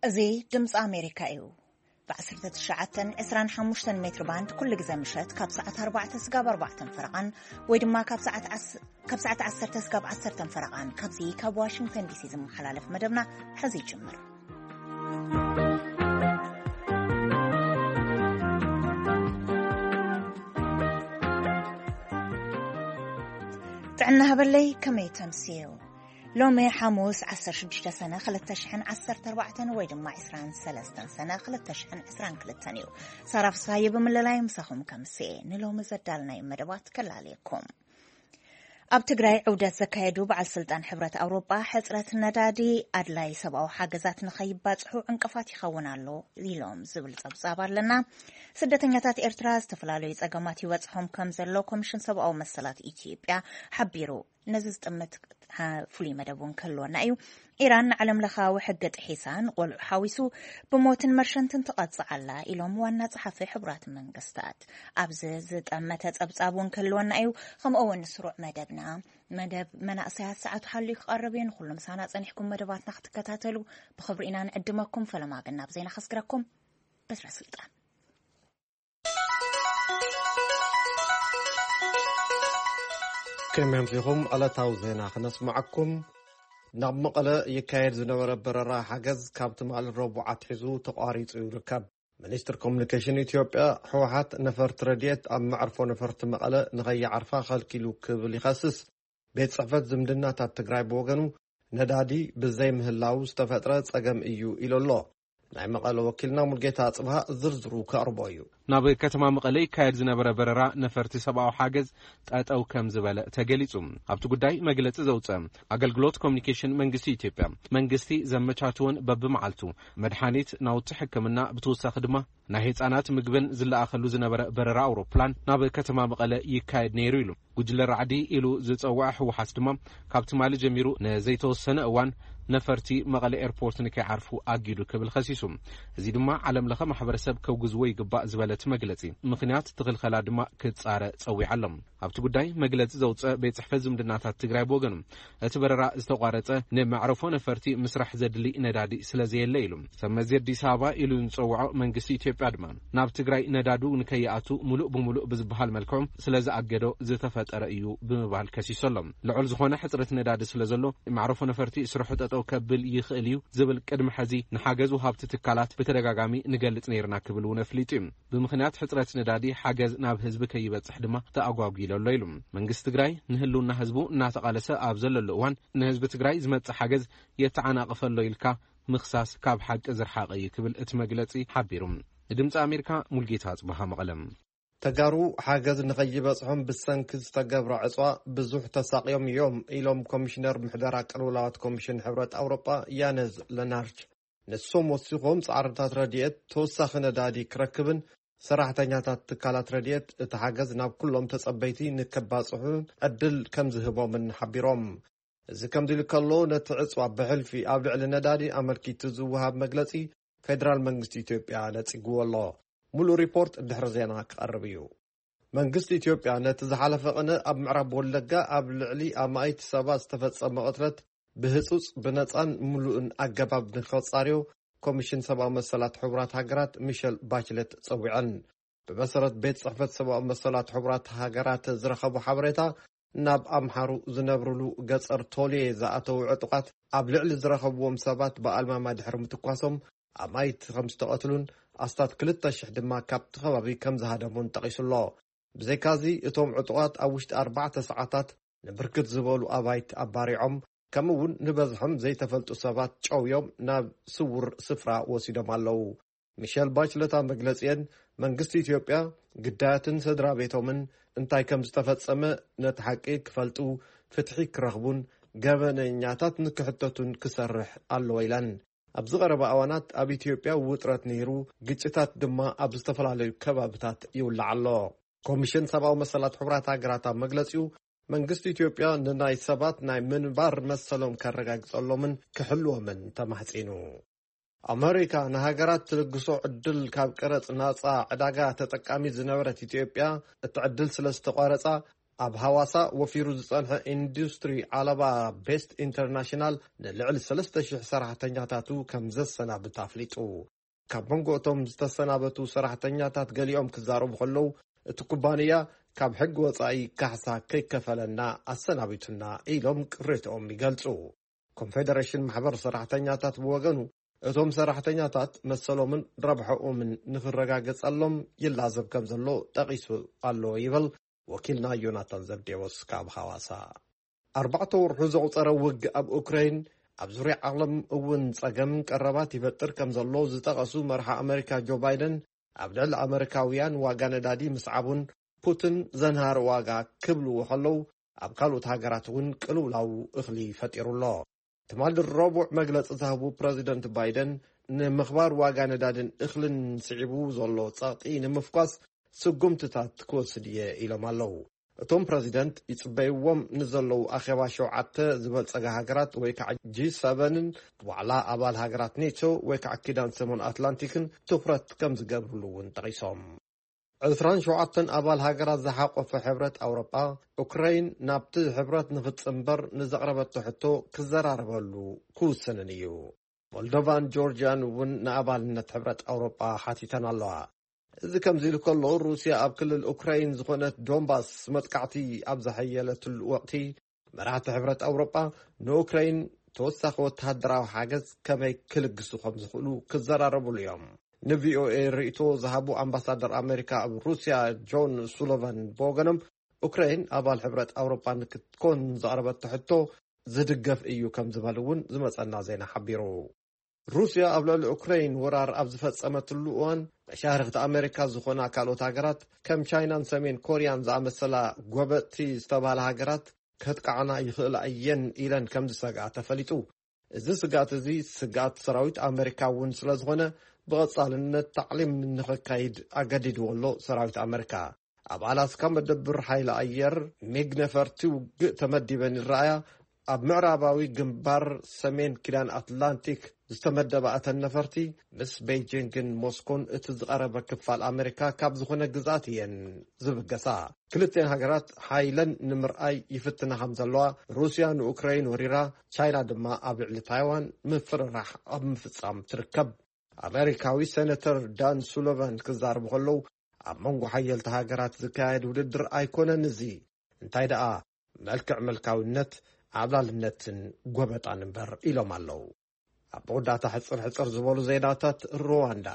እዚ ድምፂ ኣሜሪካ እዩ። ብ19 25 ሜትር ባንድ ኩሉ ግዜ ምሸት ካብ ሰዓት 4 ስጋብ 4 ፈረቓን ወይ ድማ ካብ ሰዓት ዓስ-፣ ካብ ሰዓት 10 ስጋብ 10 ፈረቓን ካብዚ ካብ ዋሽንግተን ዲሲ ዝመሓላለፍ መደብና ሕዚ ይጅምር። ጥዕና ሃበለይ፣ ከመይ ተምስዩ? ሎሚ ሓሙስ 16 ሰነ 2014 ወይ ድማ 23 ሰነ 2022 እዩ። ሳራ ፍስሃየ ብምልላይ ምሳኹም ከምስየ ንሎሚ ዘዳልናይ መደባት ከላልየኩም። ኣብ ትግራይ ዑደት ዘካየዱ በዓል ስልጣን ሕብረት ኣውሮጳ ሕፅረት ነዳዲ ኣድላይ ሰብኣዊ ሓገዛት ንኸይባፅሑ ዕንቅፋት ይኸውን ኣሎ ኢሎም ዝብል ፀብፃብ ኣለና። ስደተኛታት ኤርትራ ዝተፈላለዩ ፀገማት ይበፅሖም ከም ዘሎ ኮሚሽን ሰብኣዊ መሰላት ኢትዮጵያ ሓቢሩ። ነዚ ዝጥምት ፍሉይ መደብ እውን ክህልወና እዩ። ኢራን ንዓለም ለኻዊ ሕጊ ጥሒሳ ንቆልዑ ሓዊሱ ብሞትን መርሸንትን ትቐጽዕ ኣላ ኢሎም ዋና ጸሓፊ ሕቡራት መንግስታት። ኣብዚ ዝጠመተ ጸብጻብ እውን ክህልወና እዩ። ከምኡ እውን ስሩዕ መደብና፣ መደብ መናእሰያት ሰዓቱ ሓልዩ ክቐርብ እዩ። ንኹሉ ምሳና ጸኒሕኩም መደባትና ክትከታተሉ ብኽብሪ ኢና ንዕድመኩም። ፈለማ ግን ናብ ዜና ከስግረኩም። በትረ ስልጣን። ከመይ ኣምሲኹም? ዕለታዊ ዜና ክነስምዓኩም። ናብ መቐለ ይካየድ ዝነበረ በረራ ሓገዝ ካብ ትማሊ ረቡዕ ኣትሒዙ ተቋሪጹ ይርከብ። ሚኒስትር ኮሙኒኬሽን ኢትዮጵያ፣ ህወሓት ነፈርቲ ረድኤት ኣብ መዕርፎ ነፈርቲ መቐለ ንኸይዓርፋ ከልኪሉ ክብል ይኸስስ። ቤት ጽሕፈት ዝምድናታት ትግራይ ብወገኑ፣ ነዳዲ ብዘይ ምህላው ዝተፈጥረ ጸገም እዩ ኢሉ ኣሎ። ናይ መቐለ ወኪልና ሙልጌታ ኣጽብሃ ዝርዝሩ ከቕርቦ እዩ። ናብ ከተማ መቐለ ይካየድ ዝነበረ በረራ ነፈርቲ ሰብኣዊ ሓገዝ ጠጠው ከም ዝበለ ተገሊጹ። ኣብቲ ጉዳይ መግለጺ ዘውጸ ኣገልግሎት ኮሙኒኬሽን መንግስቲ ኢትዮጵያ፣ መንግስቲ ዘመቻችዎን በብመዓልቱ መድሓኒት፣ ናውቲ ሕክምና፣ ብተወሳኺ ድማ ናይ ህጻናት ምግብን ዝለኣኸሉ ዝነበረ በረራ ኣውሮፕላን ናብ ከተማ መቐለ ይካየድ ነይሩ ኢሉ። ጉጅለ ራዕዲ ኢሉ ዝጸውዐ ህወሓት ድማ ካብ ትማሊ ጀሚሩ ንዘይተወሰነ እዋን ነፈርቲ መቐለ ኤርፖርት ንከይዓርፉ ኣጊዱ ክብል ከሲሱ። እዚ ድማ ዓለም ለኸ ማሕበረሰብ ከውግዝዎ ይግባእ ዝበለ እቲ መግለጺ፣ ምኽንያት እቲ ክልኸላ ድማ ክጻረ ጸዊዓ ኣሎ። ኣብቲ ጉዳይ መግለጺ ዘውጸ ቤት ጽሕፈት ዝምድናታት ትግራይ ብወገኑ፣ እቲ በረራ ዝተቋረጸ ንመዕረፎ ነፈርቲ ምስራሕ ዘድሊ ነዳዲ ስለ ዘየለ ኢሉ። ሰብ መዚ ኣዲስ ኣበባ ኢሉ ዝጸውዖ መንግስቲ ኢትዮጵያ ድማ፣ ናብ ትግራይ ነዳዱ ንከይኣቱ ሙሉእ ብሙሉእ ብዝበሃል መልክዑ ስለ ዝኣገዶ ዝተፈጠረ እዩ ብምባል ከሲሱ ኣሎ። ልዑል ዝኾነ ሕጽረት ነዳዲ ስለ ዘሎ፣ መዕረፎ ነፈርቲ ስርሑ ጠጠው ከብል ይኽእል እዩ ዝብል ቅድሚ ሕዚ ንሓገዝ ወሃብቲ ትካላት ብተደጋጋሚ ንገልጽ ነይርና ክብል እውን ኣፍሊጡ እዩ። ብምኽንያት ሕጽረት ነዳዲ ሓገዝ ናብ ህዝቢ ከይበጽሕ ድማ ተኣጓጒሉ ኣሎ ኢሉ። መንግስቲ ትግራይ ንህልውና ህዝቡ እናተቓለሰ ኣብ ዘለሉ እዋን፣ ንህዝቢ ትግራይ ዝመጽእ ሓገዝ የተዓናቕፈ ኣሎ ኢልካ ምኽሳስ ካብ ሓቂ ዝረሓቐ እዩ ክብል እቲ መግለጺ ሓቢሩ። ንድምፂ ኣሜሪካ ሙልጌታ ኣጽብሃ መቐለም። ተጋሩ ሓገዝ ንኸይበጽሖም ብሰንኪ ዝተገብረ ዕጽዋ ብዙሕ ተሳቕዮም እዮም ኢሎም ኮሚሽነር ምሕደራ ቅልውላዋት ኮሚሽን ሕብረት ኣውሮጳ ያነዝ ለናርች። ንሶም ወሲኾም ጻዕርታት ረድኤት ተወሳኺ ነዳዲ ክረክብን ሰራሕተኛታት ትካላት ረድኤት እቲ ሓገዝ ናብ ኩሎም ተጸበይቲ ንከባጽሑ ዕድል ከም ዝህቦምን ሓቢሮም። እዚ ከምዚ ኢሉ ከሎ፣ ነቲ ዕጽዋ ብሕልፊ ኣብ ልዕሊ ነዳዲ ኣመልኪቱ ዝወሃብ መግለጺ ፌደራል መንግስቲ ኢትዮጵያ ነጺግዎ ኣሎ። ሙሉእ ሪፖርት ድሕሪ ዜና ክቐርብ እዩ። መንግስቲ ኢትዮጵያ ነቲ ዝሓለፈ ቅነ ኣብ ምዕራብ ወለጋ ኣብ ልዕሊ ኣማኢት ሰባት ዝተፈጸመ ቅትለት ብህጹጽ፣ ብነጻን ሙሉእን ኣገባብ ንኸጻርዮ ኮሚሽን ሰብኣዊ መሰላት ሕቡራት ሃገራት ሚሸል ባችለት ጸዊዐን። ብመሰረት ቤት ጽሕፈት ሰብኣዊ መሰላት ሕቡራት ሃገራት ዝረኸቦ ሓበሬታ፣ ናብ ኣምሓሩ ዝነብሩሉ ገጸር ቶሌ ዝኣተዉ ዕጡቓት ኣብ ልዕሊ ዝረኸብዎም ሰባት ብኣልማማ ድሕሪ ምትኳሶም ኣማይት ከም ዝተቐትሉን ኣስታት ክልተ ሽሕ ድማ ካብቲ ከባቢ ከም ዝሃደሙን ጠቒሱ ኣሎ። ብዘይካዚ፣ እቶም ዕጡቓት ኣብ ውሽጢ ኣርባዕተ ሰዓታት ንብርክት ዝበሉ ኣባይት ኣባሪዖም፣ ከምኡ እውን ንበዝሖም ዘይተፈልጡ ሰባት ጨውዮም ናብ ስውር ስፍራ ወሲዶም ኣለዉ። ሚሸል ባችለት ኣብ መግለጺአን፣ መንግስቲ ኢትዮጵያ ግዳያትን ስድራ ቤቶምን እንታይ ከም ዝተፈጸመ ነቲ ሓቂ ክፈልጡ፣ ፍትሒ ክረኽቡን ገበነኛታት ንክሕተቱን ክሰርሕ ኣለዎ ኢለን። ኣብዚ ቀረባ እዋናት ኣብ ኢትዮጵያ ውጥረት ነይሩ፣ ግጭታት ድማ ኣብ ዝተፈላለዩ ከባብታት ይውላዕ ኣሎ። ኮሚሽን ሰብኣዊ መሰላት ሕቡራት ሃገራት ኣብ መግለጺኡ፣ መንግስቲ ኢትዮጵያ ንናይ ሰባት ናይ ምንባር መሰሎም ከረጋግጸሎምን ክሕልዎምን ተማሕጺኑ። ኣመሪካ ንሃገራት ትልግሶ ዕድል ካብ ቀረጽ ናጻ ዕዳጋ ተጠቃሚት ዝነበረት ኢትዮጵያ፣ እቲ ዕድል ስለ ዝተቋረጻ፣ ኣብ ሃዋሳ ወፊሩ ዝጸንሐ ኢንዱስትሪ ዓለባ ቤስት ኢንተርናሽናል ንልዕሊ ሰለስተ ሽሕ ሰራሕተኛታቱ ከም ዘሰናብት ኣፍሊጡ። ካብ መንጎ እቶም ዝተሰናበቱ ሰራሕተኛታት ገሊኦም ክዛረቡ ከለዉ፣ እቲ ኩባንያ ካብ ሕጊ ወጻኢ ካሕሳ ከይከፈለና ኣሰናቢቱና ኢሎም ቅሬትኦም ይገልጹ። ኮንፌደሬሽን ማሕበር ሰራሕተኛታት ብወገኑ፣ እቶም ሰራሕተኛታት መሰሎምን ረብሐኦምን ንኽረጋገጸሎም ይላዘብ ከም ዘሎ ጠቒሱ ኣሎ ይብል ወኪልና ዮናታን ዘብዴዎስ ካብ ሃዋሳ። ኣርባዕተ ወርሑ ዘቑጸረ ውግእ ኣብ ኡክራይን ኣብ ዙርያ ዓለም እውን ጸገም ቀረባት ይፈጥር ከም ዘሎ ዝጠቐሱ መርሓ ኣመሪካ ጆ ባይደን፣ ኣብ ልዕሊ ኣመሪካውያን ዋጋ ነዳዲ ምስዓቡን ፑቲን ዘንሃር ዋጋ ክብልዎ ከለዉ፣ ኣብ ካልኦት ሃገራት እውን ቅልውላው እኽሊ ፈጢሩ ኣሎ። ትማሊ ረቡዕ መግለጺ ዝሃቡ ፕረዚደንት ባይደን፣ ንምኽባር ዋጋ ነዳድን እኽልን ስዒቡ ዘሎ ጸቕጢ ንምፍኳስ ስጉምትታት ክወስድ እየ ኢሎም ኣለዉ። እቶም ፕረዚደንት ይጽበይዎም ንዘለዉ ኣኼባ ሸውዓተ ዝበልጸጋ ሃገራት ወይ ከዓ ጂ ሰቨንን ዋዕላ ኣባል ሃገራት ኔቶ ወይ ከዓ ኪዳን ሰሜን ኣትላንቲክን ትኹረት ከም ዝገብርሉ እውን ጠቒሶም። ዕስራን ሸውዓተን ኣባል ሃገራት ዝሓቆፈ ሕብረት ኣውሮጳ፣ ኡክራይን ናብቲ ሕብረት ንኽትጽንበር ንዘቕረበቶ ሕቶ ክዘራረበሉ ክውስንን እዩ። ሞልዶቫን ጆርጅያን እውን ንኣባልነት ሕብረት ኣውሮጳ ሓቲተን ኣለዋ። እዚ ከምዚ ኢሉ ከሎ፣ ሩስያ ኣብ ክልል ኡክራይን ዝኾነት ዶንባስ መጥቃዕቲ ኣብ ዘሐየለትሉ ወቕቲ፣ መራሕቲ ሕብረት ኣውሮጳ ንኡክራይን ተወሳኺ ወተሃደራዊ ሓገዝ ከመይ ክልግሱ ከም ዝኽእሉ ክዘራረብሉ እዮም። ን ቪ ኦ ኤ ርእይቶ ዝሃቡ ኣምባሳደር ኣመሪካ ኣብ ሩስያ ጆን ሱሎቫን ብወገኖም፣ ኡክራይን ኣባል ሕብረት ኣውሮጳ ንክትኮን ዘቕረበቶ ሕቶ ዝድገፍ እዩ ከም ዝበሉ እውን ዝመጸና ዜና ሓቢሩ። ሩስያ ኣብ ልዕሊ ኡክራይን ወራር ኣብ ዝፈጸመትሉ እዋን፣ መሻርኽቲ ኣመሪካ ዝኾና ካልኦት ሃገራት ከም ቻይናን ሰሜን ኮርያን ዝኣመሰላ ጎበጥቲ ዝተባህላ ሃገራት ከጥቃዓና ይኽእላ እየን ኢለን ከም ዝሰግኣ ተፈሊጡ። እዚ ስግኣት እዚ ስግኣት ሰራዊት ኣመሪካ እውን ስለ ዝኾነ፣ ብቐጻልነት ታዕሊም ንኸካይድ ኣገዲድዎ ኣሎ ሰራዊት ኣመሪካ። ኣብ ኣላስካ መደብር ሓይሊ ኣየር ሚግ ነፈርቲ ውግእ ተመዲበን ይረኣያ። ኣብ ምዕራባዊ ግንባር ሰሜን ኪዳን ኣትላንቲክ ዝተመደባ እተን ነፈርቲ፣ ምስ ቤይጂንግን ሞስኮን እቲ ዝቐረበ ክፋል ኣመሪካ ካብ ዝኾነ ግዝኣት እየን ዝብገሳ። ክልቲኤን ሃገራት ሓይለን ንምርኣይ ይፍትና ከም ዘለዋ፣ ሩስያ ንኡክራይን ወሪራ፣ ቻይና ድማ ኣብ ልዕሊ ታይዋን ምፍርራሕ ኣብ ምፍጻም ትርከብ። ኣመሪካዊ ሴነተር ዳን ሱሎቫን ክዛረቡ ከለዉ፣ ኣብ መንጎ ሓየልቲ ሃገራት ዝካየድ ውድድር ኣይኮነን እዚ፣ እንታይ ደኣ፣ መልክዕ ምልካዊነት፣ ዓብላልነትን ጎበጣን እምበር ኢሎም ኣለዉ። ኣብ መወዳእታ ሕጽር ሕጽር ዝበሉ ዜናታት ሩዋንዳ።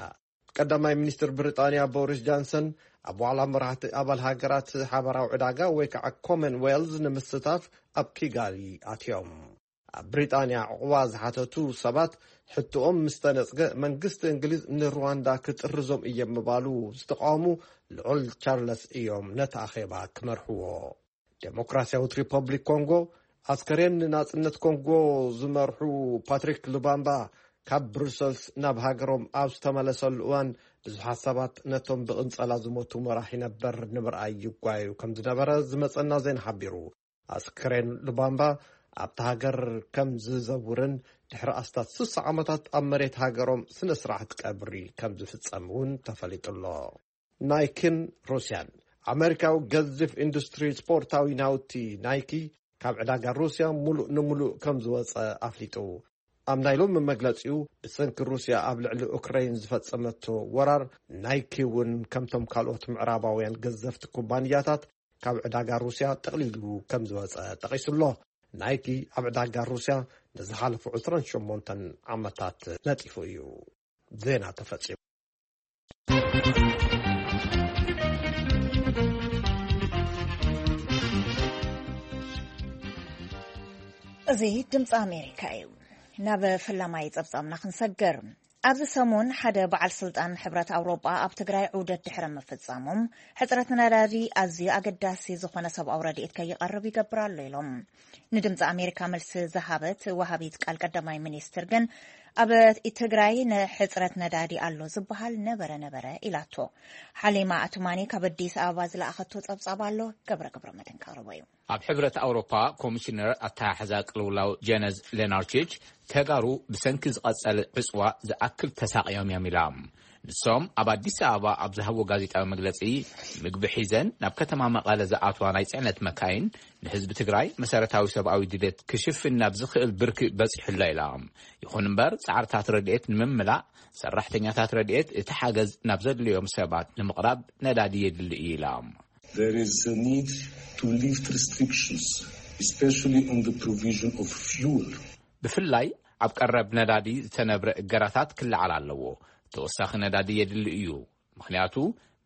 ቀዳማይ ሚኒስትር ብሪጣንያ ቦሪስ ጃንሰን ኣብ ዋዕላ መራሕቲ ኣባል ሃገራት ሓበራዊ ዕዳጋ ወይ ከዓ ኮመንዌልዝ ንምስታፍ ኣብ ኪጋሊ ኣትዮም። ኣብ ብሪጣንያ ዕቑባ ዝሓተቱ ሰባት ሕቶኦም ምስ ተነጽገ፣ መንግስቲ እንግሊዝ ንሩዋንዳ ክጥርዞም እዮም ምባሉ ዝተቃወሙ ልዑል ቻርለስ እዮም ነቲ ኣኼባ ክመርሕዎ። ዴሞክራሲያዊት ሪፐብሊክ ኮንጎ፣ ኣስከሬን ንናጽነት ኮንጎ ዝመርሑ ፓትሪክ ሉባምባ ካብ ብሩሰልስ ናብ ሃገሮም ኣብ ዝተመለሰሉ እዋን፣ ብዙሓት ሰባት ነቶም ብቕንጸላ ዝሞቱ መራሒ ነበር ንምርኣይ ይጓዩ ከም ዝነበረ ዝመጸና ዜና ሓቢሩ። ኣስከሬን ሉባምባ ኣብታ ሃገር ከም ዝዘውርን ድሕሪ ኣስታት ስሳ ዓመታት ኣብ መሬት ሃገሮም ስነ ስርዓት ቀብሪ ከም ዝፍጸም እውን ተፈሊጡ ኣሎ። ናይኪን ሩስያን። ኣመሪካዊ ገዚፍ ኢንዱስትሪ ስፖርታዊ ናውቲ ናይኪ ካብ ዕዳጋ ሩስያ ሙሉእ ንሙሉእ ከም ዝወጸ ኣፍሊጡ። ኣብ ናይ ሎሚ መግለጺኡ፣ ብሰንኪ ሩስያ ኣብ ልዕሊ ኡክራይን ዝፈጸመቶ ወራር፣ ናይኪ እውን ከምቶም ካልኦት ምዕራባውያን ገዘፍቲ ኩባንያታት ካብ ዕዳጋ ሩስያ ጠቕሊሉ ከም ዝወጸ ጠቒሱ ኣሎ። ናይኪ ኣብ ዕዳጋ ሩስያ ንዝሓለፉ ዕስራን ሸሞንተን ዓመታት ነጢፉ እዩ። ዜና ተፈጺሙ። እዚ ድምፂ ኣሜሪካ እዩ። ናብ ፈላማይ ጸብጻብና ክንሰግር። ኣብዚ ሰሙን ሓደ በዓል ስልጣን ሕብረት ኣውሮጳ ኣብ ትግራይ ዑደት ድሕሪ ምፍጻሞም፣ ሕጽረት ነዳዲ ኣዝዩ ኣገዳሲ ዝኾነ ሰብኣዊ ረድኤት ከይቐርብ ይገብር ኣሎ ኢሎም። ንድምፂ ኣሜሪካ መልሲ ዝሃበት ወሃቢት ቃል ቀዳማይ ሚኒስትር ግን፣ ኣብ ትግራይ ንሕጽረት ነዳዲ ኣሎ ዝበሃል ነበረ ነበረ ኢላቶ። ሓሊማ ኣቱማኒ ካብ ኣዲስ ኣበባ ዝለኣኸቶ ጸብጻብ ኣሎ፣ ገብረ ገብረ መድህን ከቕርቦ እዩ። ኣብ ሕብረት ኣውሮፓ ኮሚሽነር ኣተሓሕዛ ቅልውላው ጀነዝ ሌናርቺች፣ ተጋሩ ብሰንኪ ዝቐጸለ ዕጽዋ ዝኣክል ተሳቕዮም እዮም ኢላ። ንሶም ኣብ ኣዲስ ኣበባ ኣብ ዝሃብዎ ጋዜጣዊ መግለጺ፣ ምግቢ ሒዘን ናብ ከተማ መቐለ ዝኣትዋ ናይ ጽዕነት መካይን ንህዝቢ ትግራይ መሰረታዊ ሰብኣዊ ድሌት ክሽፍን ናብ ዝኽእል ብርኪ በጺሑ ኣሎ ኢላ። ይኹን እምበር ጻዕርታት ረድኤት ንምምላእ ሰራሕተኛታት ረድኤት እቲ ሓገዝ ናብ ዘድልዮም ሰባት ንምቕራብ ነዳዲ የድሊ እዩ ኢላ። There is a need to lift restrictions, especially on the provision of fuel. ብፍላይ ኣብ ቀረብ ነዳዲ ዝተነብረ እገራታት ክለዓል ኣለዎ። ተወሳኺ ነዳዲ የድሊ እዩ። ምኽንያቱ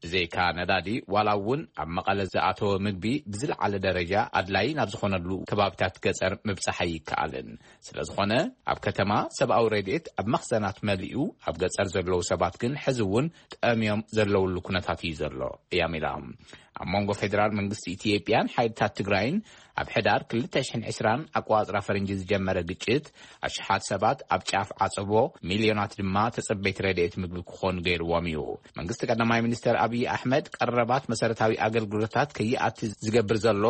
ብዘይካ ነዳዲ ዋላ እውን ኣብ መቐለ ዝኣተወ ምግቢ ብዝለዓለ ደረጃ ኣድላይ ናብ ዝኾነሉ ከባቢታት ገጸር ምብጻሕ ኣይከኣልን። ስለ ዝኾነ ኣብ ከተማ ሰብኣዊ ረድኤት ኣብ መኽዘናት መሊኡ ኣብ ገጸር ዘለዉ ሰባት ግን ሕዚ እውን ጠምዮም ዘለውሉ ኩነታት እዩ ዘሎ እያም ኢላ። ኣብ መንጎ ፌደራል መንግስቲ ኢትዮጵያን ሓይልታት ትግራይን ኣብ ሕዳር ክልተ ሽሕን ዕስራን ኣቋጽራ ፈረንጂ ዝጀመረ ግጭት ኣሽሓት ሰባት ኣብ ጫፍ ዓጸቦ፣ ሚልዮናት ድማ ተጸበይቲ ረድኤት ምግቢ ክኾኑ ገይርዎም እዩ። መንግስቲ ቀዳማይ ሚኒስተር ኣብይ ኣሕመድ ቀረባት መሰረታዊ ኣገልግሎታት ከይኣቲ ዝገብር ዘሎ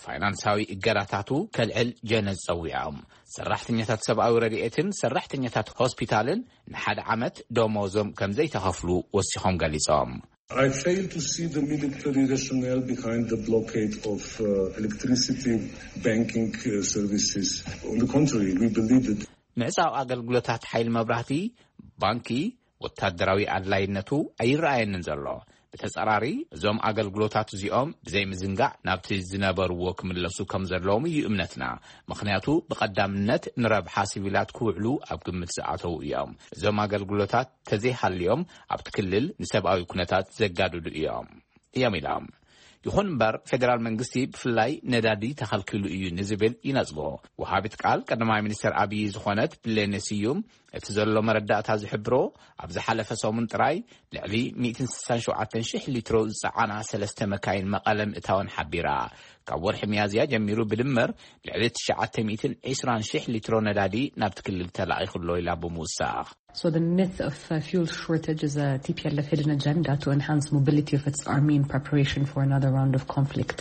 ፋይናንሳዊ እገዳታቱ ከልዕል ጀነዝ ጸዊዖም። ሰራሕተኛታት ሰብኣዊ ረድኤትን ሰራሕተኛታት ሆስፒታልን ንሓደ ዓመት ደሞዞም ከም ዘይተኸፍሉ ወሲኾም ገሊጾም። I fail to see the military rationale behind the blockade of uh, electricity, banking uh, services. On the contrary, we believe that ምዕጻው ኣገልግሎታት ሓይሊ መብራህቲ፣ ባንኪ፣ ወታደራዊ ኣድላይነቱ ኣይረኣየንን ዘሎ። ብተጻራሪ እዞም ኣገልግሎታት እዚኦም ብዘይ ምዝንጋዕ ናብቲ ዝነበርዎ ክምለሱ ከም ዘለዎም እዩ እምነትና። ምኽንያቱ ብቐዳምነት ንረብሓ ሲቪላት ክውዕሉ ኣብ ግምት ዝኣተዉ እዮም። እዞም ኣገልግሎታት ተዘይሃልዮም ኣብቲ ክልል ንሰብኣዊ ኩነታት ዘጋድዱ እዮም እዮም ኢሎም። ይኹን እምበር ፌደራል መንግስቲ ብፍላይ ነዳዲ ተኸልኪሉ እዩ ንዝብል ይነጽጎ። ወሃቢት ቃል ቀዳማይ ሚኒስትር ኣብይ ዝኾነት ብሌነ ስዩም እቲ ዘሎ መረዳእታ ዝሕብሮ ኣብ ዝሓለፈ ሰሙን ጥራይ ልዕሊ ሚእትን ስሳን ሸውዓተን ሽሕ ሊትሮ ዝጸዓና ሰለስተ መካይን መቐለ ምእታወን ሓቢራ። ካብ ወርሒ ሚያዝያ ጀሚሩ ብድምር ልዕሊ ትሽዓተ ሚእትን ዕስራን ሽሕ ሊትሮ ነዳዲ ናብቲ ክልል ተላኢኹ ኣሎ ኢላ ብምውሳኽ። So the myth of uh, fuel shortage is a T P L F hidden agenda to enhance mobility of its army in preparation for another round of conflict.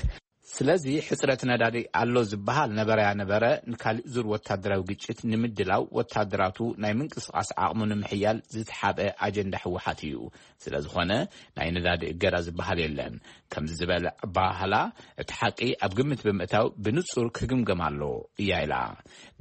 ስለዚ ሕጽረት ነዳዲ ኣሎ ዝበሃል ነበረያ ነበረ ንካሊእ ዙር ወታደራዊ ግጭት ንምድላው ወታደራቱ ናይ ምንቅስቓስ ዓቕሙ ንምሕያል ዝተሓብአ ኣጀንዳ ህወሓት እዩ። ስለ ዝኾነ ናይ ነዳዲ እገዳ ዝበሃል የለን። ከምዚ ዝበለ ኣበሃህላ እቲ ሓቂ ኣብ ግምት ብምእታው ብንጹር ክግምገም ኣሎ እያ ኢላ።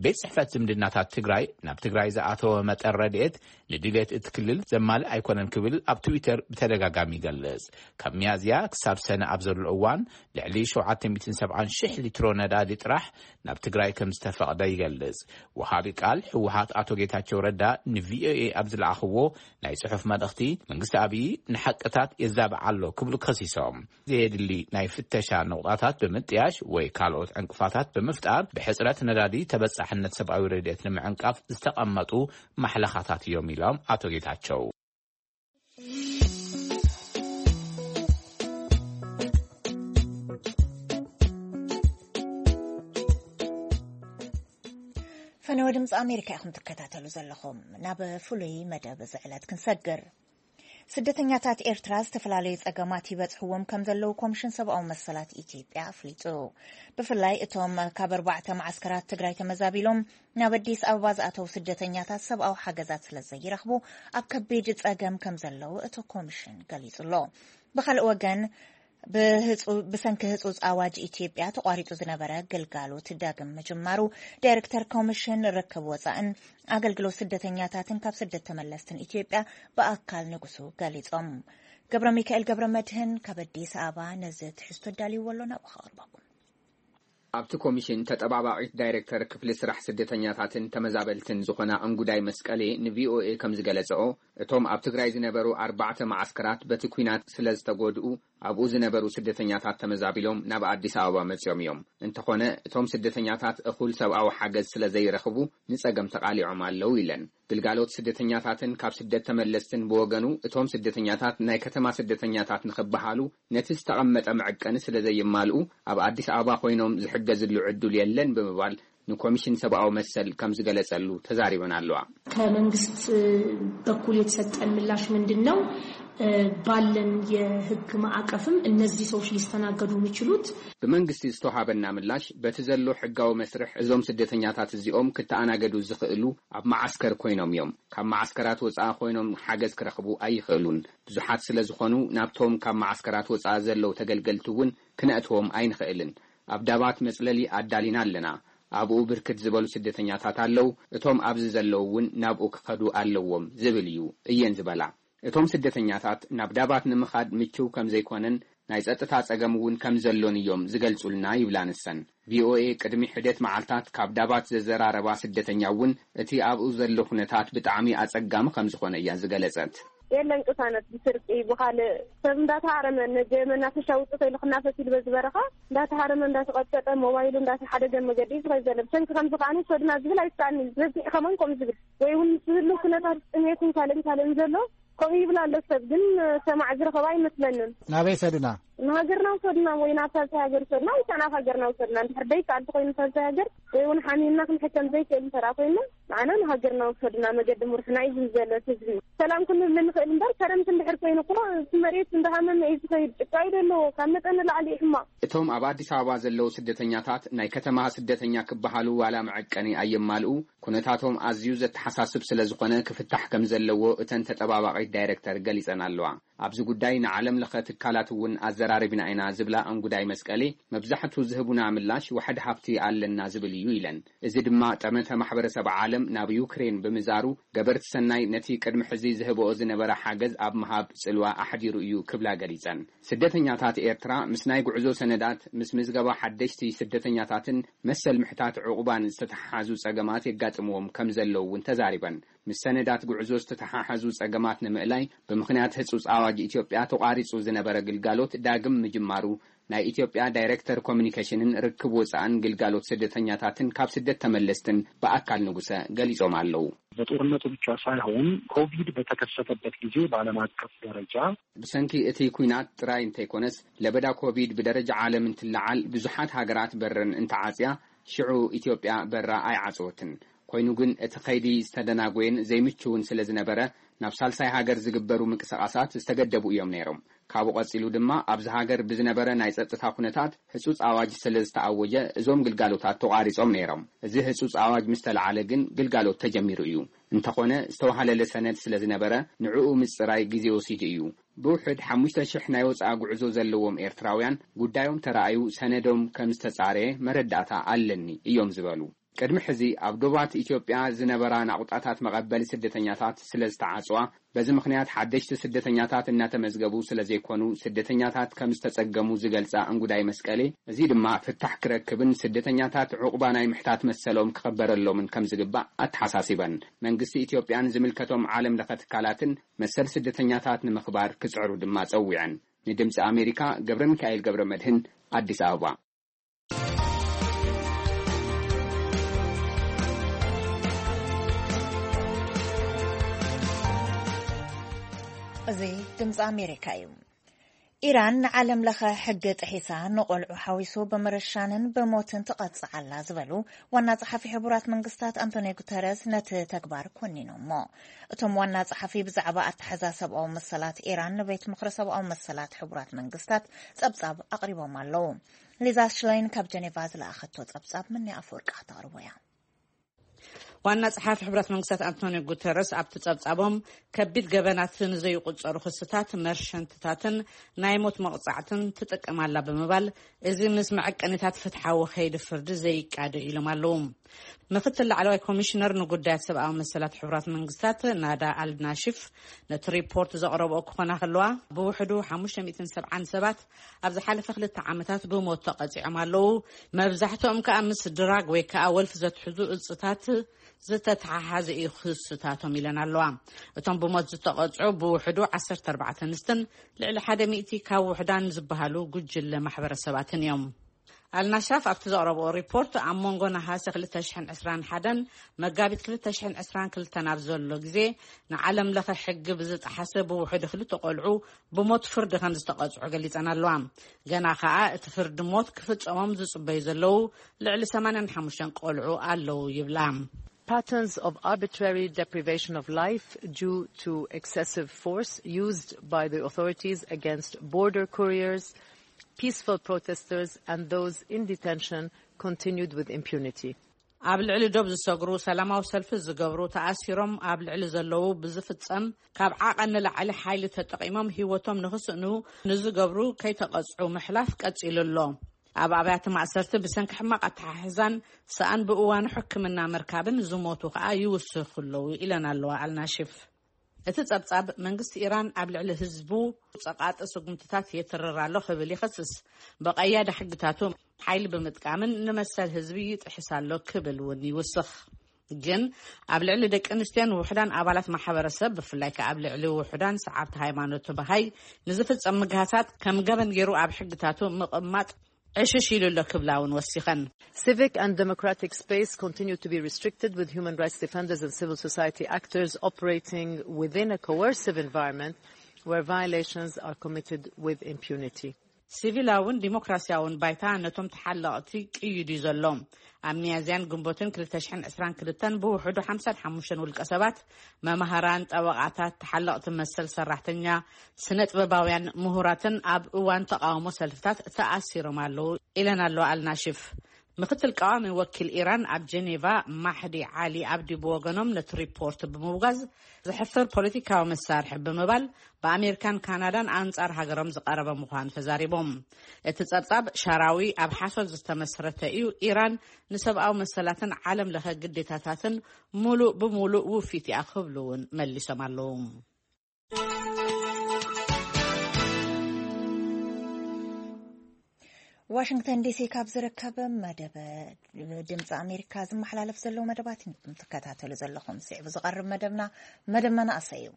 ቤት ጽሕፈት ዝምድናታት ትግራይ ናብ ትግራይ ዝኣተወ መጠን ረድኤት ንድሌት እቲ ክልል ዘማልእ ኣይኮነን ክብል ኣብ ትዊተር ብተደጋጋሚ ይገልጽ። ካብ ሚያዝያ ክሳብ ሰነ ኣብ ዘሎ እዋን ልዕሊ ሸውዓተ ሚእትን ሰብዓን ሽሕ ሊትሮ ነዳዲ ጥራሕ ናብ ትግራይ ከም ዝተፈቕደ ይገልጽ። ወሃቢ ቃል ህወሓት ኣቶ ጌታቸው ረዳ ንቪኦኤ ኣብ ዝለኣኽዎ ናይ ጽሑፍ መልእኽቲ መንግስቲ ኣብይ ንሓቅታት የዛብዕ ኣሎ ክብሉ ከሲሶም። ዘየድሊ ናይ ፍተሻ ነቑጣታት ብምጥያሽ ወይ ካልኦት ዕንቅፋታት ብምፍጣር ብሕጽረት ነዳዲ ተበጻሕነት ሰብኣዊ ረድኤት ንምዕንቃፍ ዝተቐመጡ ማሕለኻታት እዮም ኢሎም ኣቶ ጌታቸው። ፈነወ ድምፂ ኣሜሪካ ኢኹም ትከታተሉ ዘለኹም። ናብ ፍሉይ መደብ እዚ ዕለት ክንሰግር። ስደተኛታት ኤርትራ ዝተፈላለዩ ጸገማት ይበጽሕዎም ከም ዘለዉ ኮሚሽን ሰብኣዊ መሰላት ኢትዮጵያ ኣፍሊጡ። ብፍላይ እቶም ካብ ኣርባዕተ መዓስከራት ትግራይ ተመዛቢሎም ናብ ኣዲስ ኣበባ ዝኣተዉ ስደተኛታት ሰብኣዊ ሓገዛት ስለ ዘይረኽቡ ኣብ ከቢድ ጸገም ከም ዘለዉ እቲ ኮሚሽን ገሊጹ ኣሎ። ብኻልእ ወገን ብህጹ-፣ ብሰንኪ ህጹጽ ኣዋጅ ኢትዮጵያ ተቋሪጹ ዝነበረ ግልጋሎት ዳግም ምጅማሩ ዳይሬክተር ኮሚሽን ርክብ ወጻእን ኣገልግሎት ስደተኛታትን ካብ ስደት ተመለስትን ኢትዮጵያ ብኣካል ንጉሱ ገሊጾም። ገብረ ሚካኤል ገብረ መድህን ካብ ኣዲስ ኣበባ ነዚ ትሕዝቶ ኣዳልይዎ ኣሎ፣ ናብኡ ከቕርበኩም። ኣብቲ ኮሚሽን ተጠባባቒት ዳይሬክተር ክፍሊ ስራሕ ስደተኛታትን ተመዛበልትን ዝኾና እንጉዳይ መስቀሌ ንቪኦኤ ከም ዝገለጸኦ፣ እቶም ኣብ ትግራይ ዝነበሩ ኣርባዕተ መዓስከራት በቲ ኲናት ስለ ዝተጎድኡ፣ ኣብኡ ዝነበሩ ስደተኛታት ተመዛቢሎም ናብ ኣዲስ ኣበባ መጺኦም እዮም። እንተኾነ፣ እቶም ስደተኛታት እኹል ሰብኣዊ ሓገዝ ስለ ዘይረኽቡ፣ ንጸገም ተቓሊዖም ኣለዉ ኢለን። ግልጋሎት ስደተኛታትን ካብ ስደት ተመለስትን ብወገኑ፣ እቶም ስደተኛታት ናይ ከተማ ስደተኛታት ንኽበሃሉ፣ ነቲ ዝተቐመጠ መዐቀኒ ስለ ዘይማልኡ፣ ኣብ ኣዲስ ኣበባ ኮይኖም ዝሕገዝሉ ዕድል የለን ብምባል፣ ንኮሚሽን ሰብኣዊ መሰል ከም ዝገለጸሉ ተዛሪበን ኣለዋ። ከመንግስት በኩል የተሰጠን ምላሽ ምንድን ነው? ባለን የህግ ማዕቀፍም እነዚህ ሰዎች ሊስተናገዱ የሚችሉት ብመንግስቲ ዝተዋሃበና ምላሽ፣ በቲ ዘሎ ሕጋዊ መስርሕ እዞም ስደተኛታት እዚኦም ክተኣናገዱ ዝኽእሉ ኣብ መዓስከር ኮይኖም እዮም። ካብ መዓስከራት ወፃኢ ኮይኖም ሓገዝ ክረኽቡ ኣይኽእሉን። ብዙሓት ስለ ዝኾኑ፣ ናብቶም ካብ መዓስከራት ወፃኢ ዘለዉ ተገልገልቲ እውን ክነእትዎም ኣይንኽእልን። ኣብ ዳባት መፅለሊ ኣዳሊና ኣለና። ኣብኡ ብርክት ዝበሉ ስደተኛታት ኣለዉ። እቶም ኣብዚ ዘለዉ እውን ናብኡ ክኸዱ ኣለዎም ዝብል እዩ እየን ዝበላ። እቶም ስደተኛታት ናብ ዳባት ንምኻድ ምችው ከም ዘይኮነን ናይ ጸጥታ ጸገም እውን ከም ዘሎን እዮም ዝገልጹልና ይብላ ንሰን። ቪኦኤ ቅድሚ ሕደት መዓልታት ካብ ዳባት ዘዘራረባ ስደተኛ እውን እቲ ኣብኡ ዘሎ ኩነታት ብጣዕሚ ኣጸጋሚ ከም ዝኾነ እያ ዝገለጸት። የለን ቅሳነት ብስርቂ ብኻልእ ሰብ እንዳተሃረመ፣ ነጀ መናፈሻ ውፅእ ኢሉ ክናፈስ ኢሉ በዚ በረኻ እንዳተሃረመ እንዳተቐጥቀጠ ሞባይሉ እንዳተሓደገ መገዲ እዩ ዝኸይድ ዘሎ። ብሰንኪ ከምዚ ከዓኒ ሰዱና ዝብል ኣይሰኣን እዩ። በዚሕ ከማን ከምኡ ዝብል ወይ እውን ምስ ዝህሉ ኩነታት ጥሜትን ካልእን ካልእን ዘሎ ከምኡ ይብል ኣሎ። ሰብ ግን ሰማዕ ዝረኸባ ኣይመስለንን። ናበይ ሰዱና? ንሃገርና ውሰዱና ወይ ናብ ሳልሳይ ሃገር ውሰዱና ወይ ከኣ ናብ ሃገርና ውሰዱና። እንድሕር ደይከኣል ተኾይኑ ሳልሳይ ሃገር ወይ እውን ሓሚምና ክንሕከም ዘይክእል እንተደኣ ኮይና ንዓና ንሃገርና ውሰዱና። መገዲ ምርሑና እዩ ዝብል ዘሎ እቲ ህዝቢ። ሰላም ክንብል ንኽእል እምበር ከረምቲ እንድሕር ኮይኑ እኮ እቲ መሬት እንዳሃመመ እዩ ዝኸይድ። ጭቃ እዩ ዘለዎ ካብ መጠን ንላዕሊ እዩ ሕማቕ። እቶም ኣብ ኣዲስ ኣበባ ዘለዉ ስደተኛታት ናይ ከተማ ስደተኛ ክበሃሉ ዋላ መዐቀኒ ኣየማልኡ፣ ኩነታቶም ኣዝዩ ዘተሓሳስብ ስለ ዝኾነ ክፍታሕ ከም ዘለዎ እተን ተጠባባቒት ዳይረክተር ገሊጸን ኣለዋ። ኣብዚ ጉዳይ ንዓለም ለኸ ትካላት እውን ኣዘራሪብና ኢና ዝብላ እንጉዳይ መስቀሌ፣ መብዛሕቱ ዝህቡና ምላሽ ዋሕዲ ሃብቲ ኣለና ዝብል እዩ ኢለን። እዚ ድማ ጠመተ ማሕበረሰብ ዓለም ናብ ዩክሬን ብምዛሩ ገበርቲ ሰናይ ነቲ ቅድሚ ሕዚ ዝህብኦ ዝነበረ ሓገዝ ኣብ ምሃብ ጽልዋ ኣሕዲሩ እዩ ክብላ ገሊጸን። ስደተኛታት ኤርትራ ምስ ናይ ጉዕዞ ሰነዳት፣ ምስ ምዝገባ ሓደሽቲ ስደተኛታትን መሰል ምሕታት ዕቑባን ዝተተሓሓዙ ጸገማት የጋጥምዎም ከም ዘለዉ እውን ተዛሪበን። ምስ ሰነዳት ጉዕዞ ዝተተሓሓዙ ጸገማት ንምእላይ ብምኽንያት ህጹጽ ኣዋጅ ኢትዮጵያ ተቋሪጹ ዝነበረ ግልጋሎት ዳግም ምጅማሩ ናይ ኢትዮጵያ ዳይሬክተር ኮሚኒኬሽንን ርክብ ወጻእን ግልጋሎት ስደተኛታትን ካብ ስደት ተመለስትን ብኣካል ንጉሰ ገሊጾም ኣለዉ። በጦርነቱ ብቻ ሳይሆን ኮቪድ በተከሰተበት ጊዜ በዓለም አቀፍ ደረጃ ብሰንኪ እቲ ኲናት ጥራይ እንተይኮነስ ለበዳ ኮቪድ ብደረጃ ዓለም እንትለዓል ብዙሓት ሃገራት በረን እንተዓጽያ ሽዑ ኢትዮጵያ በራ ኣይዓጸወትን። ኮይኑ ግን እቲ ኸይዲ ዝተደናጎየን ዘይምችውን ስለ ዝነበረ ናብ ሳልሳይ ሃገር ዝግበሩ ምንቅስቓሳት ዝተገደቡ እዮም ነይሮም። ካብኡ ቀጺሉ ድማ ኣብዚ ሃገር ብዝነበረ ናይ ጸጥታ ኩነታት ህጹጽ ኣዋጅ ስለ ዝተኣወጀ እዞም ግልጋሎታት ተቋሪጾም ነይሮም። እዚ ህጹጽ ኣዋጅ ምስ ተለዓለ ግን ግልጋሎት ተጀሚሩ እዩ። እንተኾነ ዝተዋሃለለ ሰነድ ስለ ዝነበረ ንዕኡ ምጽራይ ግዜ ወሲዱ እዩ። ብውሕድ ሓሙሽተ ሽሕ ናይ ወጻኢ ጉዕዞ ዘለዎም ኤርትራውያን ጉዳዮም ተራእዩ ሰነዶም ከም ዝተጻረየ መረዳእታ ኣለኒ እዮም ዝበሉ። ቅድሚ ሕዚ ኣብ ዶባት ኢትዮጵያ ዝነበራ ናቑጣታት መቐበሊ ስደተኛታት ስለ ዝተዓጽዋ፣ በዚ ምኽንያት ሓደሽቲ ስደተኛታት እናተመዝገቡ ስለ ዘይኮኑ ስደተኛታት ከም ዝተጸገሙ ዝገልጻ እንጉዳይ መስቀሌ፣ እዚ ድማ ፍታሕ ክረክብን ስደተኛታት ዕቑባ ናይ ምሕታት መሰሎም ክኽበረሎምን ከም ዝግባእ ኣተሓሳሲበን። መንግስቲ ኢትዮጵያን ዝምልከቶም ዓለም ለኸ ትካላትን መሰል ስደተኛታት ንምኽባር ክጽዕሩ ድማ ጸዊዐን። ንድምጺ ኣሜሪካ ገብረ ሚካኤል ገብረ መድህን ኣዲስ ኣበባ። እዚ ድምፂ ኣሜሪካ እዩ። ኢራን ንዓለም ለኸ ሕጊ ጥሒሳ ንቆልዑ ሓዊሱ ብምርሻንን ብሞትን ትቐፅዕ ኣላ ዝበሉ ዋና ጸሓፊ ሕቡራት መንግስታት ኣንቶኒዮ ጉተረስ ነቲ ተግባር ኮኒኖሞ። እቶም ዋና ጸሓፊ ብዛዕባ ኣተሓዛ ሰብኣዊ መሰላት ኢራን ንቤት ምኽሪ ሰብኣዊ መሰላት ሕቡራት መንግስታት ጸብጻብ ኣቕሪቦም ኣለዉ። ሊዛ ሽላይን ካብ ጀኔቫ ዝለኣኸቶ ጸብጻብ ምንያ ኣፈወርቂ ከተቕርቦ እያ። ዋና ጸሓፊ ሕብረት መንግስታት ኣንቶኒዮ ጉተረስ ኣብቲ ጸብጻቦም ከቢድ ገበናት ንዘይቁጸሩ ክስታት መርሸንትታትን ናይ ሞት መቕጻዕትን ትጥቀም ኣላ ብምባል እዚ ምስ መዐቀኒታት ፍትሓዊ ከይዲ ፍርዲ ዘይቃደ ኢሎም ኣለዉ። ምክትል ላዕለዋይ ኮሚሽነር ንጉዳያት ሰብኣዊ መሰላት ሕቡራት መንግስታት ናዳ ኣልናሽፍ ነቲ ሪፖርት ዘቕረብኦ ክኾና ከለዋ ብውሕዱ ሓሙሽተ ሚእትን ሰብዓን ሰባት ኣብ ዝሓለፈ ክልተ ዓመታት ብሞት ተቐጺዖም ኣለዉ። መብዛሕትኦም ከኣ ምስ ድራግ ወይ ከኣ ወልፊ ዘትሕዙ እጽታት ዝተተሓሓዘ እዩ ክስታቶም ኢለን ኣለዋ። እቶም ብሞት ዝተቐጽዑ ብውሕዱ ዓሰርተ ኣርባዕተ ኣንስትን ልዕሊ ሓደ ሚእቲ ካብ ውሕዳን ዝበሃሉ ጉጅለ ማሕበረሰባትን እዮም። ኣልናሻፍ ኣብቲ ዘቕረብኦ ሪፖርት፣ ኣብ መንጎ ነሃሰ ክልተ ሽሕን ዕስራን ሓደን መጋቢት ክልተ ሽሕን ዕስራን ክልተን ኣብ ዘሎ ግዜ፣ ንዓለም ለኸ ሕጊ ብዝጠሓሰ ብውሕዱ ክልተ ቆልዑ ብሞት ፍርዲ ከም ዝተቐጽዑ ገሊጸን ኣለዋ። ገና ከኣ እቲ ፍርዲ ሞት ክፍጸሞም ዝጽበዩ ዘለዉ ልዕሊ ሰማንያን ሓሙሽተን ቆልዑ ኣለዉ ይብላ። Patterns of arbitrary deprivation of life due to excessive force used by the authorities against border couriers, peaceful protesters, and those in detention continued with impunity. ኣብ ልዕሊ ዶብ ዝሰግሩ፣ ሰላማዊ ሰልፊ ዝገብሩ፣ ተኣሲሮም ኣብ ልዕሊ ዘለዉ ብዝፍጸም ካብ ዓቐን ንላዕሊ ሓይሊ ተጠቒሞም ህይወቶም ንኽስእኑ ንዝገብሩ ከይተቐጽዑ ምሕላፍ ቀጺሉ ኣሎ። ኣብ ኣብያተ ማእሰርቲ ብሰንኪ ሕማቕ ኣተሓሕዛን ሰኣን ብእዋኑ ሕክምና ምርካብን ዝሞቱ ከኣ ይውስኹ ኣለዉ ኢለን ኣለዋ ኣልናሽፍ። እቲ ጸብጻብ፣ መንግስቲ ኢራን ኣብ ልዕሊ ህዝቡ ጸቓጢ ስጉምትታት የትርር ኣሎ ክብል ይኸስስ። ብቐያዲ ሕግታቱ ሓይሊ ብምጥቃምን ንመሰል ህዝቢ ይጥሕስ ኣሎ ክብል እውን ይውስኽ። ግን ኣብ ልዕሊ ደቂ ኣንስትዮን ውሑዳን ኣባላት ማሕበረሰብ፣ ብፍላይ ከኣ ኣብ ልዕሊ ውሑዳን ሰዓብቲ ሃይማኖት ባሃይ ንዝፍጸም ምግሃሳት ከም ገበን ገይሩ ኣብ ሕግታቱ ምቕማጥ ዕሽሽ ኢሉ ኣሎ ክብላ እውን ወሲኸን። Civic and democratic space continue to be restricted, with human rights defenders and civil society actors operating within a coercive environment where violations are committed with impunity. ሲቪላውን ዲሞክራሲያውን ባይታ ነቶም ተሓለቕቲ ቅይዱ እዩ ዘሎ። ኣብ ሚያዝያን ግንቦትን ክልተ ሽሕን ዕስራን ክልተን ብውሕዱ ሓምሳን ሓሙሽተን ውልቀ ሰባት፣ መማህራን፣ ጠበቓታት፣ ተሓለቕቲ መሰል ሰራሕተኛ፣ ስነ ጥበባውያን፣ ምሁራትን ኣብ እዋን ተቓውሞ ሰልፍታት ተኣሲሮም ኣለዉ ኢለን ኣለዋ ኣልናሽፍ። ምክትል ቀዋሚ ወኪል ኢራን ኣብ ጀኔቫ ማሕዲ ዓሊ ኣብዲ ብወገኖም ነቲ ሪፖርት ብምውጋዝ፣ ዘሕፍር ፖለቲካዊ መሳርሒ ብምባል ብኣሜሪካን ካናዳን ኣንጻር ሃገሮም ዝቐረበ ምዃኑ ተዛሪቦም። እቲ ጸብጻብ ሻራዊ ኣብ ሓሶት ዝተመስረተ እዩ፣ ኢራን ንሰብኣዊ መሰላትን ዓለም ለኸ ግዴታታትን ሙሉእ ብሙሉእ ውፊት እያ ክብሉ እውን መሊሶም ኣለዉ። ዋሽንግተን ዲሲ ካብ ዝርከብ መደብ ድምፂ ኣሜሪካ ዝመሓላለፍ ዘለዉ መደባት ኢኹም ትከታተሉ ዘለኹም። ስዒቡ ዝቐርብ መደብና መደብ መናእሰይ እዩ።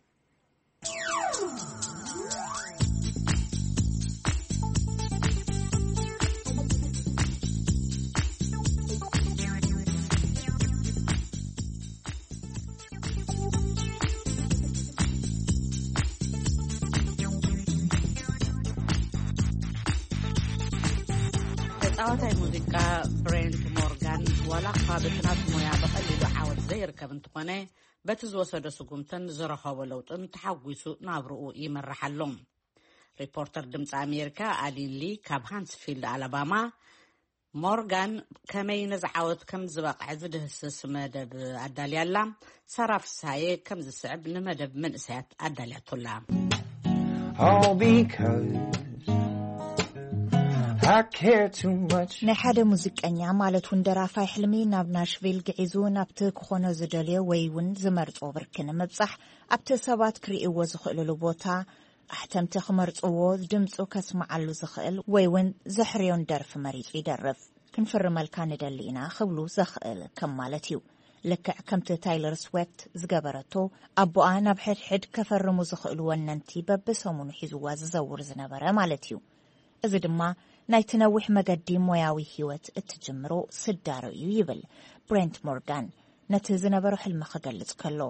ተጻዋታይ ሙዚቃ ብሬንት ሞርጋን ዋላ እኳ በቲ ናቱ ሞያ ብቐሊሉ ዓወት ዘይርከብ እንተኾነ፣ በቲ ዝወሰዶ ስጉምትን ዝረኸቦ ለውጥን ተሓጒሱ ናብርኡ ይመርሕ ኣሎ። ሪፖርተር ድምፂ ኣሜሪካ ኣሊን ሊ ካብ ሃንስፊልድ ኣላባማ፣ ሞርጋን ከመይ ነዚ ዓወት ከም ዝበቕዐ ዝድህስስ መደብ ኣዳልያ ኣላ። ሳራ ፍስሃየ ከም ዝስዕብ ንመደብ መንእሰያት ኣዳልያቶ ኣላ። All because I care too much. ናይ ሓደ ሙዚቀኛ ማለት እውን ደራፋይ ሕልሚ ናብ ናሽቪል ግዒዙ ናብቲ ክኾኖ ዝደልዮ ወይ እውን ዝመርጾ ብርኪ ንምብጻሕ ኣብቲ ሰባት ክርእይዎ ዝኽእልሉ ቦታ ኣሕተምቲ ክመርጽዎ ድምጹ ከስምዓሉ ዝኽእል ወይ እውን ዘሕርዮን ደርፊ መሪጹ ይደርፍ። ክንፍርመልካ ንደሊ ኢና ክብሉ ዘኽእል ከም ማለት እዩ። ልክዕ ከምቲ ታይለር ስዌፍት ዝገበረቶ ኣቦኣ ናብ ሕድሕድ ከፈርሙ ዝኽእሉ ወነንቲ በብሰሙኑ ሒዝዋ ዝዘውር ዝነበረ ማለት እዩ። እዚ ድማ ናይቲ ነዊሕ መገዲ ሞያዊ ህይወት እትጅምሮ ስዳሮ እዩ ይብል ብሬንት ሞርጋን ነቲ ዝነበሮ ሕልሚ ክገልጽ ከሎ።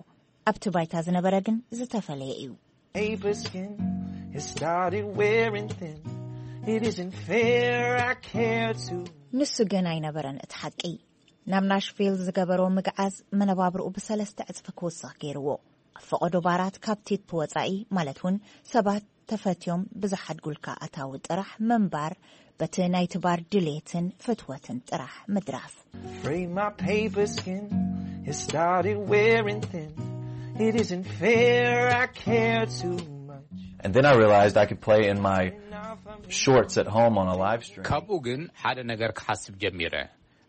ኣብቲ ባይታ ዝነበረ ግን ዝተፈለየ እዩ። Paper skin has started wearing thin. It isn't fair, I care too. ንሱ ግን ኣይነበረን እቲ ሓቂ። ናብ ናሽቪል ዝገበሮ ምግዓዝ መነባብርኡ ብሰለስተ ዕጽፊ ክውስኽ ገይርዎ። ኣብ ፈቐዶ ባራት ካብ ቲፕ ወጻኢ ማለት እውን ሰባት ተፈትዮም ብዝሓድጉልካ ኣታዊ ጥራሕ ምንባር በቲ ናይቲ ባር ድሌትን ፍትወትን ጥራሕ ምድራፍ። Afraid my paper skin has started wearing thin. It isn't fair, I care too much. And then I realized I could play in my shorts at home on a live stream. ካብኡ ግን ሓደ ነገር ክሓስብ ጀሚረ።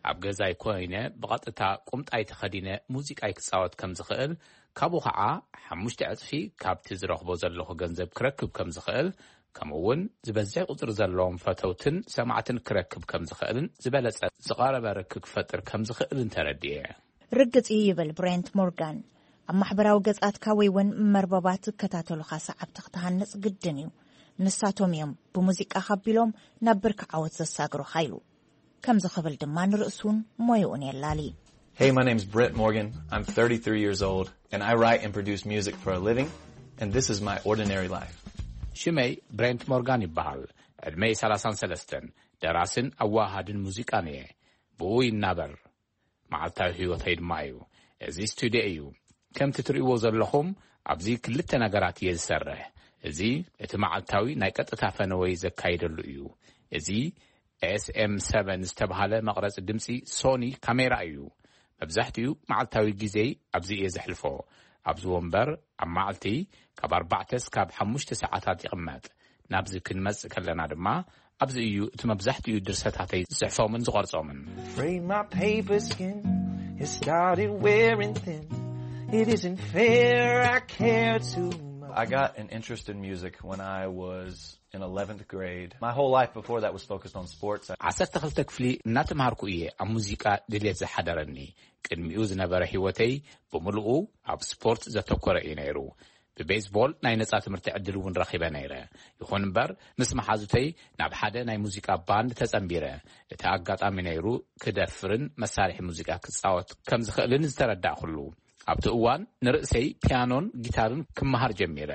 ኣብ ገዛይ ኮይነ ብቐጥታ ቁምጣይ ተኸዲነ ሙዚቃይ ክጻወት ከም ዝኽእል፣ ካብኡ ኸዓ ሓሙሽተ ዕጽፊ ካብቲ ዝረኽቦ ዘለኹ ገንዘብ ክረክብ ከም ዝኽእል፣ ከምኡ እውን ዝበዝሕ ቁጽሪ ዘለዎም ፈተውትን ሰማዕትን ክረክብ ከም ዝኽእልን ዝበለጸ ዝቐረበ ርክብ ክፈጥር ከም ዝኽእልን ተረዲኤ። ርግጽ እዩ ይብል ብሬንት ሞርጋን። ኣብ ማሕበራዊ ገጻትካ ወይ እውን መርበባት ዝከታተሉኻ ሰዓብቲ ክትሃንጽ ግድን እዩ። ንሳቶም እዮም ብሙዚቃ ካቢሎም ናብ ብርኪ ዓወት ዘሳግሩኻ ኢሉ። ከምዚ ክብል ድማ ንርእሱን ሞይኡን የላሊ። Hey, my name's Brent Morgan. I'm thirty-three years old, and I write and produce music for a living, and this is my ordinary life. ሽመይ ብሬንት ሞርጋን ይበሃል። ዕድመይ ሰላሳን ሰለስተን። ደራስን ኣዋሃድን ሙዚቃን እየ። ብኡ ይናበር። መዓልታዊ ህይወተይ ድማ እዩ። እዚ ስቱድዮ እዩ። ከምቲ ትርእይዎ ዘለኹም፣ ኣብዚ ክልተ ነገራት እየ ዝሰርሕ። እዚ እቲ መዓልታዊ ናይ ቀጥታ ፈነወይ ዘካይደሉ እዩ። እዚ ኤስኤም ሰቨን ዝተባህለ መቕረጺ ድምጺ ሶኒ ካሜራ እዩ። መብዛሕትኡ መዓልታዊ ግዜይ ኣብዚ እየ ዘሕልፎ። ኣብዚ ወንበር ኣብ መዓልቲ ካብ ኣርባዕተ እስካብ ሓሙሽተ ሰዓታት ይቕመጥ። ናብዚ ክንመጽእ ከለና ድማ ኣብዚ እዩ እቲ መብዛሕትኡ ድርሰታተይ ዝጽሕፎምን ዝቐርጾምን። Afraid my paper skin has started wearing thin. It isn't fair, I care too much. I got an interest in music when I was in eleventh grade. My whole life before that was focused on sports. ዓሰርተ ክልተ ክፍሊ እናተምሃርኩ እየ ኣብ ሙዚቃ ድልየት ዝሓደረኒ። ቅድሚኡ ዝነበረ ህይወተይ ብምልኡ ኣብ ስፖርት ዘተኮረ እዩ ነይሩ። ብቤዝቦል ናይ ነጻ ትምህርቲ ዕድል እውን ረኺበ ነይረ። ይኹን እምበር፣ ምስ መሓዙተይ ናብ ሓደ ናይ ሙዚቃ ባንድ ተጸንቢረ። እቲ ኣጋጣሚ ነይሩ ክደፍርን መሳርሒ ሙዚቃ ክጻወት ከም ዝኽእልን ዝተረዳእኩሉ። ኣብቲ እዋን ንርእሰይ ፒያኖን ጊታርን ክመሃር ጀሚረ።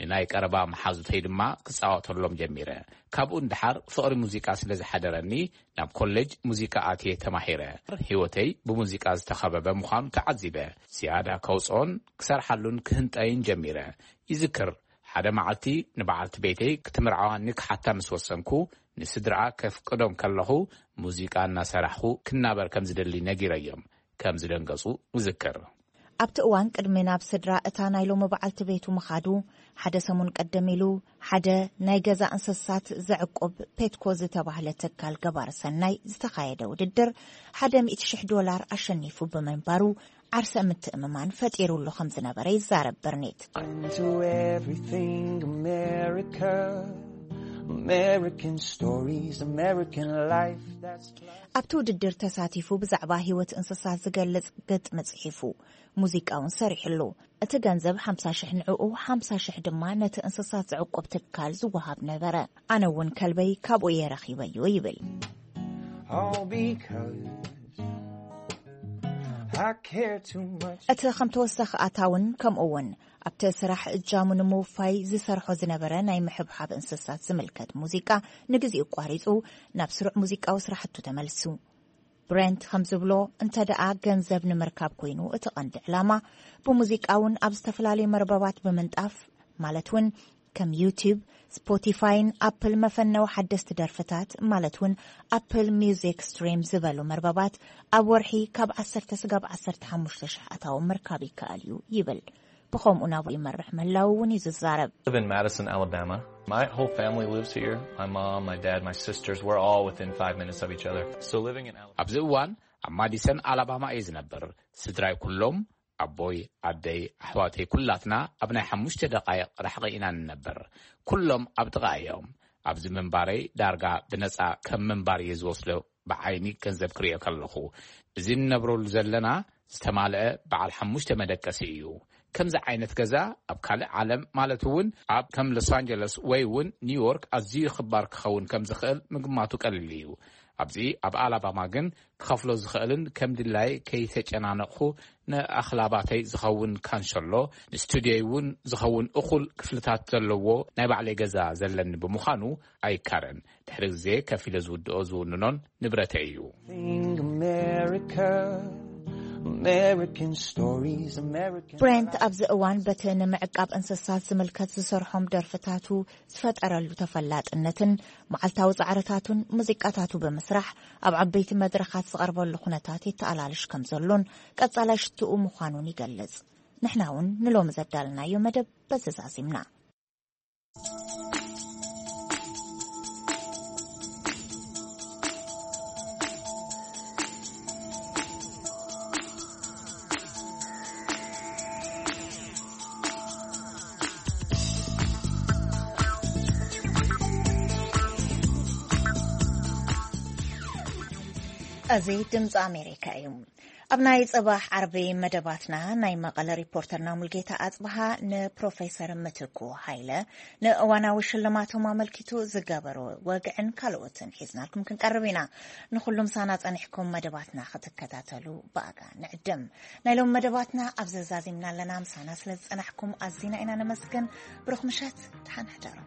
ንናይ ቀረባ መሓዙተይ ድማ ክጻወተሎም ጀሚረ። ካብኡ ንደሓር ፍቕሪ ሙዚቃ ስለ ዝሓደረኒ፣ ናብ ኮሌጅ ሙዚቃ ኣትየ ተማሂረ። ህይወተይ ብሙዚቃ ዝተኸበበ ምዃኑ ተዓዚበ። ዝያዳ ከውጽኦን ክሰርሓሉን ክህንጠይን ጀሚረ። ይዝክር፣ ሓደ መዓልቲ ንበዓልቲ ቤተይ ክትምርዓዋኒ ክሓታ ምስ ወሰንኩ፣ ንስድራኣ ከፍቅዶም ከለኹ፣ ሙዚቃ እናሰራሕኹ ክናበር ከም ዝደሊ ነጊረዮም ከም ዝደንገጹ እዝክር። ኣብቲ እዋን ቅድሚ ናብ ስድራ እታ ናይ ሎሚ በዓልቲ ቤቱ ምኻዱ፣ ሓደ ሰሙን ቀደም ኢሉ፣ ሓደ ናይ ገዛ እንስሳት ዘዕቁብ ፔትኮ ዝተባህለ ትካል ገባር ሰናይ ዝተኻየደ ውድድር ሓደ ሚእቲ ሽሕ ዶላር ኣሸኒፉ ብምንባሩ ዓርሰ ምትእምማን ፈጢሩሉ ከም ዝነበረ ይዛረብ በርኔት። Into everything America, American stories, American life. That's ኣብቲ ውድድር ተሳቲፉ ብዛዕባ ህይወት እንስሳት ዝገልጽ ግጥሚ ጽሒፉ። ሙዚቃ እውን ሰሪሕሉ። እቲ ገንዘብ ሓምሳ ሽሕ ንዕኡ፣ ሓምሳ ሽሕ ድማ ነቲ እንስሳት ዘዕቁብ ትካል ዝወሃብ ነበረ። ኣነ እውን ከልበይ ካብኡ እየ ረኺበዮ ይብል። all because I care too much. እቲ ከም ተወሳኺ ኣታውን ከምኡ እውን ኣብቲ ስራሕ እጃሙ ንምውፋይ ዝሰርሖ ዝነበረ ናይ ምሕብሓብ እንስሳት ዝምልከት ሙዚቃ ንግዜኡ ኣቋሪጹ ናብ ስሩዕ ሙዚቃዊ ስራሕቱ ተመልሱ። ብሬንት ከም ዝብሎ፣ እንተ ደኣ ገንዘብ ንምርካብ ኮይኑ እቲ ቀንዲ ዕላማ፣ ብሙዚቃ እውን ኣብ ዝተፈላለዩ መርበባት ብምንጣፍ፣ ማለት እውን ከም ዩቲዩብ፣ ስፖቲፋይን ኣፕል መፈነዊ ሓደስቲ ደርፍታት፣ ማለት እውን ኣፕል ሚውዚክ ስትሪም ዝበሉ መርበባት፣ ኣብ ወርሒ ካብ ዓሰርተ ስጋብ ዓሰርተ ሓሙሽተ ሽሕ ኣታዊ ምርካብ ይከኣል እዩ ይብል። ብኸምኡ ናብኡ ይመርሕ ምህላው እውን እዩ ዝዛረብ። I live in Madison, Alabama. My whole family lives here. My mom, my dad, my sisters, we're all within five minutes of each other. So living in Alabama. ኣብዚ እዋን ኣብ ማዲሰን ኣላባማ እየ ዝነብር። ስድራይ ኩሎም፣ ኣቦይ፣ ኣደይ፣ ኣሕዋተይ፣ ኩላትና ኣብ ናይ ሓሙሽተ ደቓይቕ ርሕቒ ኢና ንነብር። ኩሎም ኣብ ጥቓ እዮም። ኣብዚ ምንባረይ ዳርጋ ብነጻ ከም ምንባር እየ ዝወስዶ። ብዓይኒ ገንዘብ ክርእዮ ከለኹ፣ እዚ ንነብረሉ ዘለና ዝተማልአ በዓል ሓሙሽተ መደቀሲ እዩ። ከምዚ ዓይነት ገዛ ኣብ ካልእ ዓለም፣ ማለት እውን ኣብ ከም ሎስ ኣንጀለስ ወይ እውን ኒውዮርክ ኣዝዩ ክባር ክኸውን ከም ዝኽእል ምግማቱ ቀሊል እዩ። ኣብዚ ኣብ ኣላባማ ግን ክኸፍሎ ዝኽእልን ከም ድላይ ከይተጨናነቕኹ ንኣኽላባተይ ዝኸውን ካንሸሎ፣ ንስቱድዮይ እውን ዝኸውን እኹል ክፍልታት ዘለዎ ናይ ባዕለይ ገዛ ዘለኒ ብምዃኑ ኣይካረን። ድሕሪ ግዜ ከፊለ ዝውድኦ ዝውንኖን ንብረተይ እዩ። Thing America, American stories, American ብሬንት ኣብዚ እዋን በቲ ንምዕቃብ እንስሳት ዝምልከት ዝሰርሖም ደርፍታቱ ዝፈጠረሉ ተፈላጥነትን መዓልታዊ ጻዕርታቱን ሙዚቃታቱ ብምስራሕ ኣብ ዓበይቲ መድረኻት ዝቐርበሉ ኩነታት የተኣላልሽ ከም ዘሎን ቀጻላይ ሽትኡ ምዃኑን ይገልጽ። ንሕና እውን ንሎሚ ዘዳልናዮ መደብ በዚ ዛዚምና። እዚ ድምፂ ኣሜሪካ እዩ። ኣብ ናይ ጽባሕ ዓርቢ መደባትና ናይ መቐለ ሪፖርተርና ሙልጌታ ኣጽብሃ ንፕሮፌሰር ምትኩ ሃይለ ንእዋናዊ ሽልማቶም ኣመልኪቱ ዝገበሮ ወግዕን ካልኦትን ሒዝናልኩም ክንቀርብ ኢና። ንኹሉም ሳና ጸኒሕኩም መደባትና ክትከታተሉ ብኣጋ ንዕድም። ናይ ሎም መደባትና ኣብ ዘዛዚምና ኣለና። ምሳና ስለ ዝጸናሕኩም ኣዚና ኢና ነመስግን። ብሩኽ ምሸት፣ ደሓን ሕደሩ።